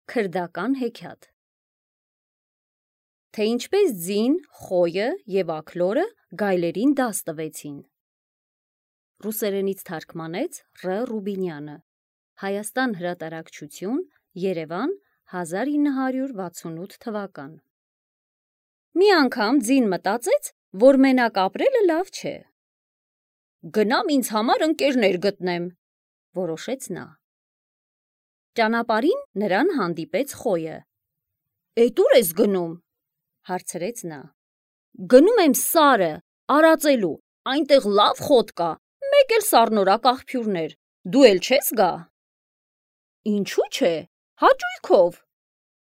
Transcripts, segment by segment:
Քրդական հեքիաթ։ Թե ինչպես ձին, խոյը և աքլորը գայլերին դաս տվեցին։ Ռուսերենից թարգմանեց Ռ. Ռուբինյանը։ Հայաստան հրատարակչություն, Երևան, 1968 թվական։ Մի անգամ ձին մտածեց, որ մենակ ապրելը լավ չէ։ «Գնամ ինձ համար ընկերներ գտնեմ», որոշեց նա։ Ճանապարհին նրան հանդիպեց խոյը։ «Էդ ուր ես գնում», հարցրեց նա։ «Գնում եմ Սարը, արածելու, այնտեղ լավ խոտ կա, մեկ էլ սառնորակ աղբյուրներ, դու էլ չես գա»։ «Ինչու՞ չէ, հաճույքով»,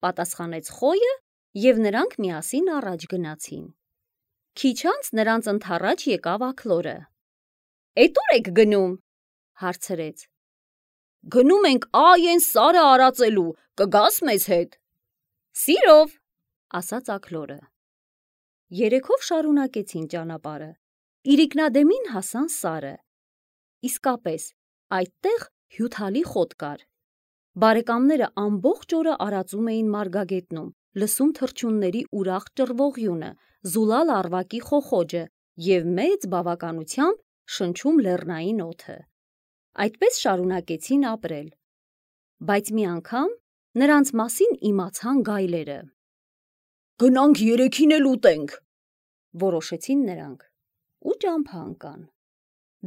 պատասխանեց խոյը, և նրանք միասին առաջ գնացին։ Քիչ անց նրանց ընդառաջ եկավ աքլորը։ «Էդ ուր եք գնում», հարցրեց։ «Գնում ենք այն Սարը արածելու, կգաս մեզ հետ»։ «Սիրով», ասաց աքլորը։ Երեքով շարունակեցին ճանապարհը։ Իրիկնադեմին հասան Սարը։ Իսկապես, այդտեղ հյութալի խոտ կար։ Բարեկամները ամբողջ օրը արածում էին մարգագետնում, լսում թռչունների ուրախ ճռվողյունը, զուլալ առվակի խոխոջը և մեծ բավականությամբ շնչում լեռնային օդը։ Այդպես շարունակեցին ապրել։ Բայց մի անգամ նրանց մասին իմացան գայլերը։ «Գնանք երեքին էլ ուտենք», որոշեցին նրանք ու ճամփա ընկան։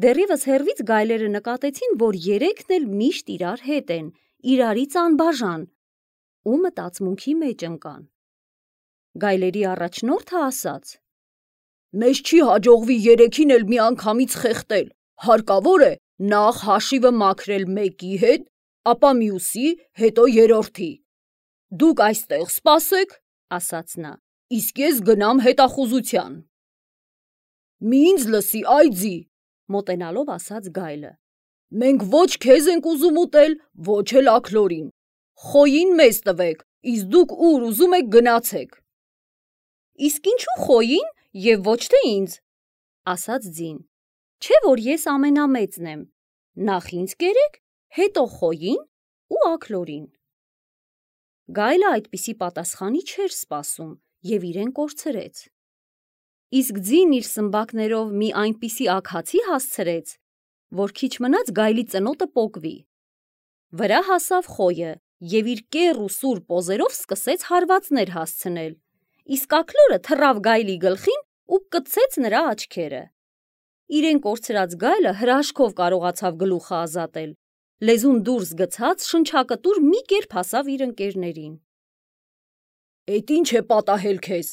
Դեռևս հեռվից գայլերը նկատեցին, որ երեքն էլ միշտ իրար հետ են, իրարից անբաժան, ու մտածմունքի մեջ ընկան։ Գայլերի առաջնորդը ասաց. «Մեզ չի հաջողվի երեքին էլ միանգամից խեղդել, հարկավոր է նախ հաշիվը մաքրել մեկի հետ, ապա մյուսի, հետո երրորդի։ Դուք այստեղ սպասեք, ասաց նա, իսկ ես գնամ հետախուզության»։ «Մի ինձ լսի, այ ձի», մոտենալով ասաց գայլը, «մենք ոչ քեզ ենք ուզում ուտել, ոչ էլ աքլորին։ Խոյին մեզ տվեք, իսկ դուք ուր ուզում եք գնացեք»։ «Իսկ ինչու խոյին և ոչ թե ինձ», ասաց ձին, «չէ՞ որ ես ամենամեծն եմ, նախ ինձ կերեք, հետո խոյին ու աքլորին»։ Գայլը այդպիսի պատասխանի չէր սպասում և իրեն կորցրեց։ Իսկ ձին իր սմբակներով մի այնպիսի աքացի հասցրեց, որ քիչ մնաց գայլի ծնոտը պոկվի։ Վրա հասավ խոյը և իր կեռ ու սուր պոզերով սկսեց հարվածներ հասցնել, իսկ աքլորը թռավ գայլի գլխին ու կցեց նրա աչքերը։ Իրեն կորցրած գայլը հրաշքով կարողացավ գլուխը ազատել, լեզուն դուրս գցած շնչակտուր մի կերպ հասավ իր ընկերներին։ «Էդ ի՞նչ է պատահել քեզ»,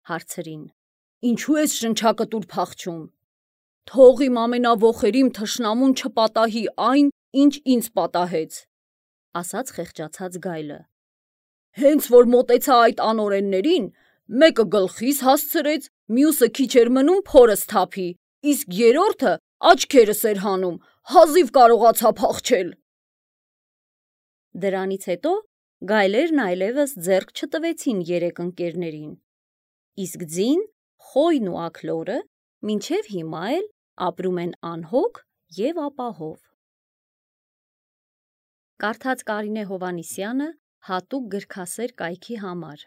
հարցրին, «ինչու ես շնչակտուր փախչում։ Թող իմ ամենավոխերիմ թշնամուն չպատահի այն, ինչ ինձ պատահեց», ասաց խեղճացած գայլը։ «Հենց որ մոտեցա այդ անօրեններին, մեկը գլխիս հասցրեց, մյուսը քիչ էր մնում փորս թափի, իսկ երրորդը աչքերս էր հանում, հազիվ կարողացա փախչել»։ Դրանից հետո գայլերն այլևս ձեռք չտվեցին երեք ընկերներին, իսկ ձին, խոյն ու աքլորը մինչև հիմա էլ ապրում են անհոգ և ապահով։ Կարդաց Կարինե Հովհաննիսյանը հատուկ գրքասեր կայքի համար։